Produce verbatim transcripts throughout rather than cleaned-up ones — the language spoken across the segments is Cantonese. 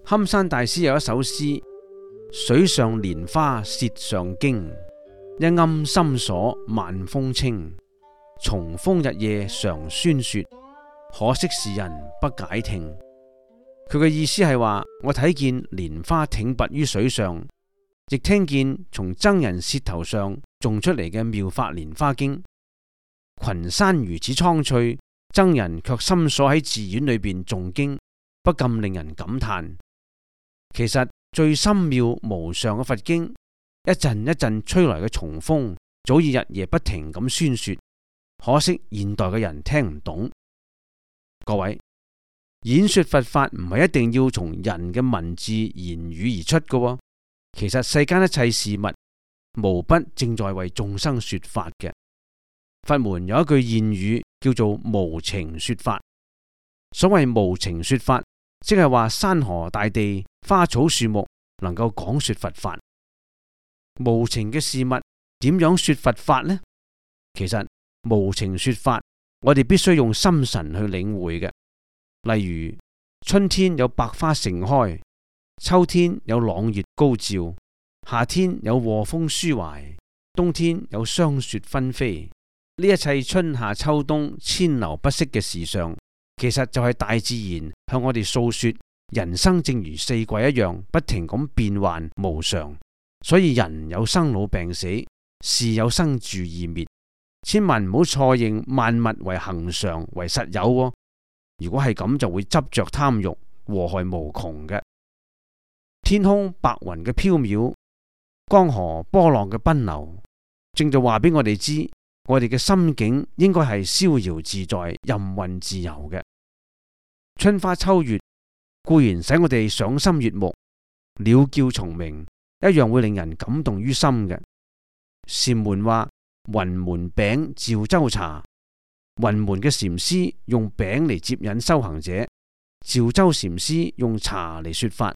堪山大師有一首詩：水上蓮花舌上經，一庵深鎖萬風清。重風日夜常宣說，可惜時人不解聽。佢嘅意思係話，我睇見蓮花挺拔於水上，亦聽見從僧人舌頭上誦出嚟嘅妙法蓮花經。群山如此蒼翠，僧人卻深鎖喺寺院裏邊誦經，不禁令人感嘆。其實最深妙無上嘅佛經，一陣一陣吹來嘅重風，早已日夜不停咁宣說，可惜現代嘅人聽唔懂。各位，演說佛法唔係一定要從人嘅文字言語而出嘅，其實世間一切事物無不正在為眾生說法嘅。佛門有一句諺語叫做無情說法。所謂無情說法，即係話山河大地、花草樹木能夠講說佛法。無情嘅事物點樣說佛法呢？其實無情說法，我哋必須用心神去領會嘅。例如春天有百花盛開，秋天有朗月高照，夏天有和風抒懷，冬天有霜雪紛飛。呢一切春夏秋冬千流不息嘅事上，其實就係大自然向我哋訴說，人生正如四季一樣，不停咁變幻無常。所以人有生老病死，事有生住異滅，千萬唔好錯認萬物為恆常為實有喎。如果係咁，就會執着貪欲，禍害無窮嘅。天空白雲嘅飄渺，江河波浪嘅奔流，正就話俾我哋知，我哋嘅心境應該係逍遙自在、任運自由嘅。春花秋月固然使我哋賞心悅目，鳥叫蟲鳴一樣會令人感動於心嘅。禪門話雲門餅照州茶，雲門嘅禪師用餅嚟接引修行者，趙州禪師用茶嚟說法。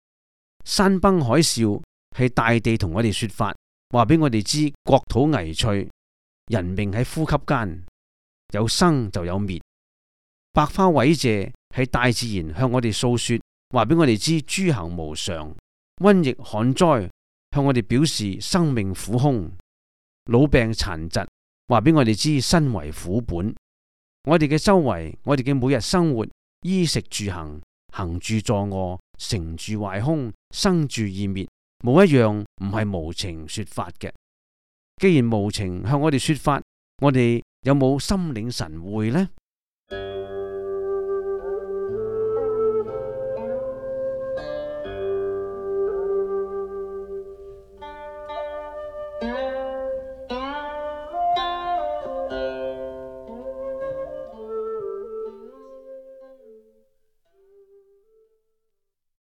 山崩海嘯係大地同我哋說法，話俾我哋知國土危脆，人命喺呼吸間，有生就有滅。百花毀謝係大自然向我哋訴說，話俾我哋知諸行無常。瘟疫旱災向我哋表示生命苦空。老病殘疾話俾我哋知身為苦本。我哋嘅周圍，我哋嘅每日生活，衣食住行，行住坐臥，成住壞空，生住異滅，冇一樣唔係無情說法嘅。既然無情向我哋說法，我哋有冇心領神會呢？